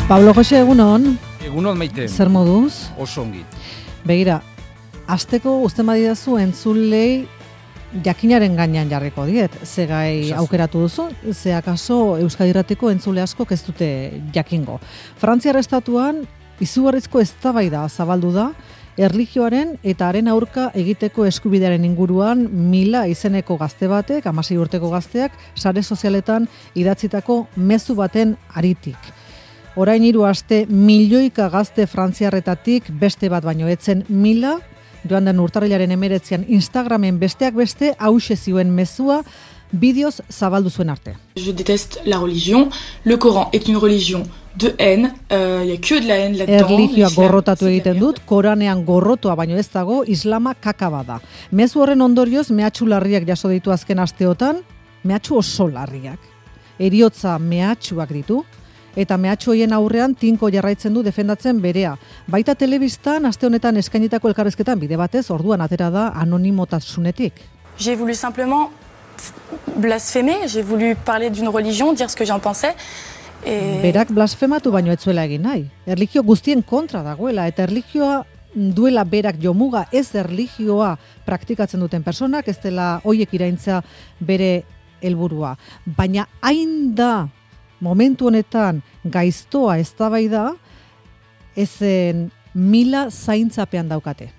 Pablo Jose, egunon. Egunon, Maite. Zer moduz? Oso ongi. Begira, hasteko uzten badidazu entzulei jakinaren gainean jarriko diet. Ze gai aukeratu duzu, ze akaso Euskadi Irratiko entzule asko ez dute jakingo. Frantziar estatuan izugarrizko eztabaida zabaldu da, erlijioaren eta haren aurka egiteko eskubidearen inguruan 1000 izeneko gazte batek, 16 urteko gazteak, sare sozialetan idatzitako mezu baten aritik. Orain 3 aste milioika gazte frantziarretatik beste bat baino etzen 1000, joan den urtarrilaren 19an Instagramen besteak beste hauxe zioen mezua bideoz zabaldu zuen arte. Je déteste la religion. Le Coran est une religion de haine. Il y a que de la haine là-dedans. Erlijioa gorrotatu egiten dut, Koranean gorrotoa baino ez dago, islama kakaba da. Mezu horren ondorioz mehatxu larriak jaso ditu azken asteotan, mehatxu oso larriak. Heriotza mehatxuak ditu, eta mehatxu horien aurrean tinko jarraitzen du defendatzen berea. Baita telebistan aste honetan eskainitako elkarrizketan bide batez orduan atera da anonimotasunetik. J'ai voulu simplement blasphémer, j'ai voulu parler d'une religion, dire ce que j'en pensais. Berak blasfematu baino ez zuela egin nahi. Erlijio guztien kontra dagoela eta erlijioa duela berak jomuga, ez erlijioa praktikatzen duten personak, ez dela hoiek iraintza bere helburua. Baina hain da momentu honetan gaiztoa eztabaida ezen 1000 zaintzapean daukate.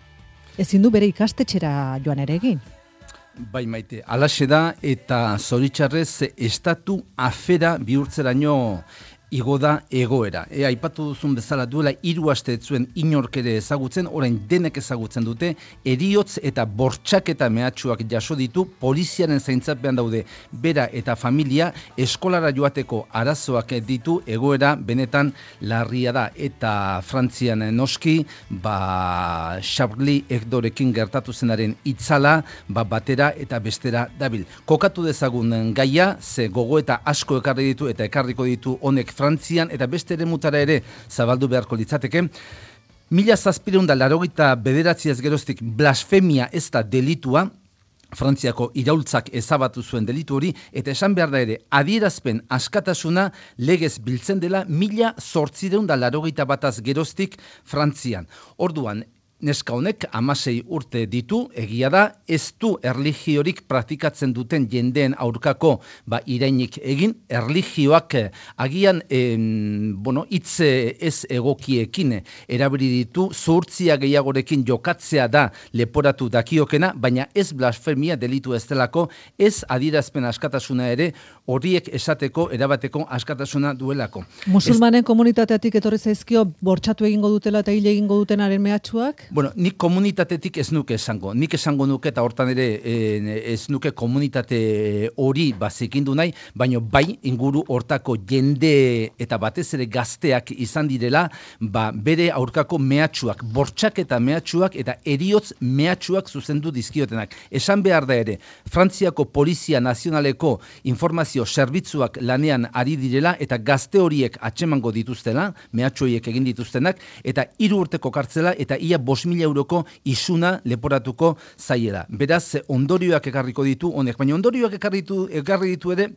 Ezin du bere ikastetxera joan ere egin. Bai, Maite, alaxe da eta zoritxarrez estatu afera bihurtzeraino igo da egoera. Aipatu duzun bezala duela 3 aste ez zuen inork ere ezagutzen, orain denek ezagutzen dute, heriotz eta bortxaketa mehatxuak jaso ditu, poliziaren zaintzapean daude bera eta familia, eskolara joateko arazoak ditu, egoera benetan larria da. Eta Frantzian noski, Charlie Hebdorekin gertatu zenaren itzala, batera eta bestera dabil. Kokatu dezagun gaia, ze gogoeta asko ekarri ditu eta ekarriko ditu honek Frantzian eta beste eremutara ere zabaldu beharko litzateke. 1789 geroztik blasfemia ez da delitua, Frantziako iraultzak ezabatu zuen delitu hori, eta esan behar da ere, adierazpen askatasuna legez biltzen dela 1881 geroztik Frantzian. Orduan, neska honek 16 urte ditu, egia da, ez du erlijiorik praktikatzen duten jendeen aurkako irainik egin, erlijioak agian hitz ez egokiekin erabili ditu, zuhurtzia gehiagorekin jokatzea da leporatu dakiokena, baina ez blasfemia delitu ez delako, ez adierazpen askatasuna ere horiek esateko erabateko askatasuna duelako. Musulmanen komunitateatik etorri zaizkio bortxatu egingo dutela eta hil egingo dutenaren mehatxuak? Bueno, nik komunitatetik ez nuke esango. Nik esango nuke eta hortan ere ez nuke komunitate hori zikindu nahi, baina bai inguru hortako jende eta batez ere gazteak izan direla, bere aurkako mehatxuak, bortxaketa mehatxuak eta heriotz mehatxuak zuzendu dizkiotenak. Esan behar da ere, Frantziako Polizia Nazionaleko informazio zerbitzuak lanean ari direla eta gazte horiek atxemango dituztela, mehatxu horiek egin dituztenak, eta 3 urteko kartzela eta ia 5.000 euroko isuna leporatuko zaiela. Beraz, ondorioak ekarriko ditu honek, baina ondorioak ekarri ditu ere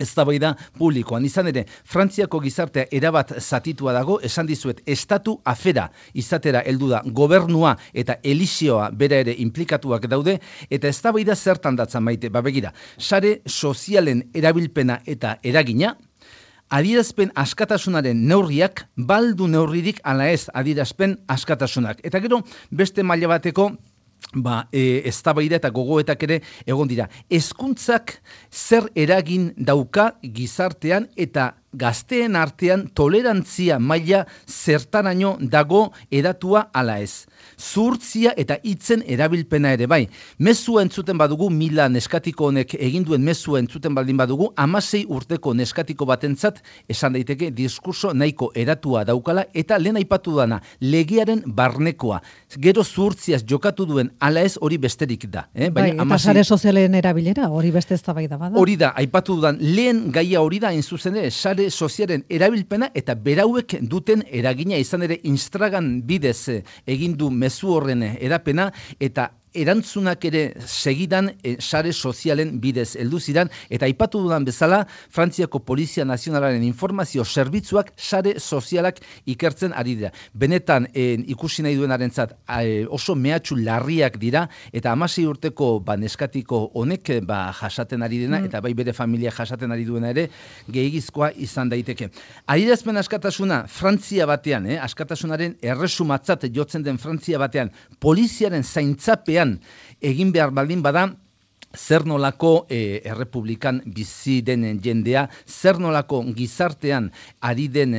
eztabaida publikoan. Izan ere, Frantziako gizartea erabat zatitua dago, esan dizuet, estatu afera izatera heldu da gobernua eta elizioa bera ere implikatuak daude, eta eztabaida zertan datzan Maite, begira, sare sozialen erabilpena eta eragina, adierazpen askatasunaren neurriak, baldu neurririk ala ez adierazpen askatasunak. Eta gero, beste maila bateko, eztabaida eta gogoetak ere egon dira. Hezkuntzak zer eragin dauka gizartean eta gazteen artean tolerantzia maila zertaraino dago edatua ala ez. Zuhurtzia eta hitzen erabilpena ere bai. Mezua entzuten badugu, Mila neskatiko honek eginduen mezua entzuten baldin badugu, 16 urteko neskatiko batentzat esan daiteke diskurso nahiko eratua daukala eta lehen aipatu dana, legearen barnekoa. Gero zuhurtziaz jokatu duen ala ez hori besterik da. Eta sare sozialen erabilera hori beste eztabaida bada. Hori da, aipatu dudan lehen gaia hori da, zuzen ere, sare sozialen erabilpena eta berauek duten eragina izan ere Instagram bidez egin du mezu horren edapena eta erantzunak ere segidan sare sozialen bidez heldu ziren, eta aipatu dudan bezala, Frantziako Polizia Nazionalaren informazio zerbitzuak sare sozialak ikertzen ari dira. Benetan ikusi nahi duenarentzat oso mehatxu larriak dira, eta 16 urteko neskatiko honek jasaten ari dena, eta bai bere familia jasaten ari duena ere, gehiagizkoa izan daiteke. Adierazpen askatasuna Frantzia batean, askatasunaren erresumatzat jotzen den Frantzia batean, poliziaren zaintzapean egin behar baldin bada, zer nolako errepublikan bizi den jendea, zer nolako gizartean ari den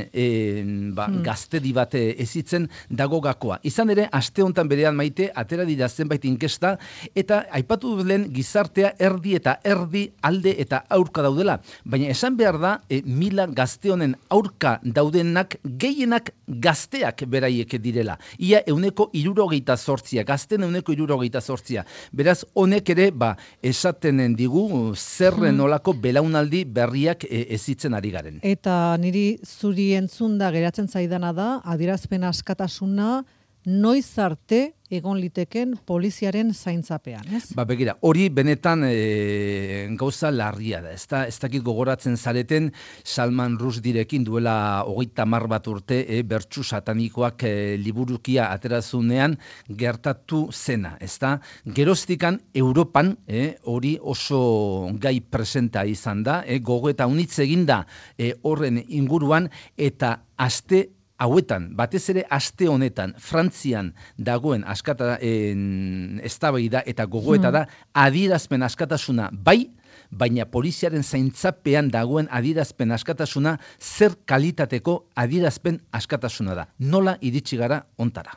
gaztedi bat ezitzen dago gakoa. Izan ere, aste honetan berean Maite, atera dira zenbait inkesta, eta aipatu duen gizartea erdi eta erdi alde eta aurka daudela. Baina esan behar da, mila gazte honen aurka daudenak gehienak gazteak beraiek direla. Ia 68%, gazten 68%. Beraz, honek ere, esaten digu zerren olako belaunaldi berriak ezitzen ari garen. Eta niri zuri entzunda geratzen zaidana da, adierazpen askatasuna noiz arte egon liteken poliziaren zaintzapean, ez? Begira, hori benetan gauza larria da. Ez dakit gogoratzen zareten Salman Rushdierekin duela 30 bat urte bertsu satanikoak liburukia aterazunean gertatu zena, ezta? Geroztikan Europan hori oso gai presenta izan da, gogoeta unitz eginda horren inguruan, eta aste hauetan, batez ere aste honetan, Frantzian dagoen eztabaida eta gogoeta da, adierazpen askatasuna bai, baina poliziaren zaintzapean dagoen adierazpen askatasuna zer kalitateko adierazpen askatasuna da. Nola iritsi gara ontara?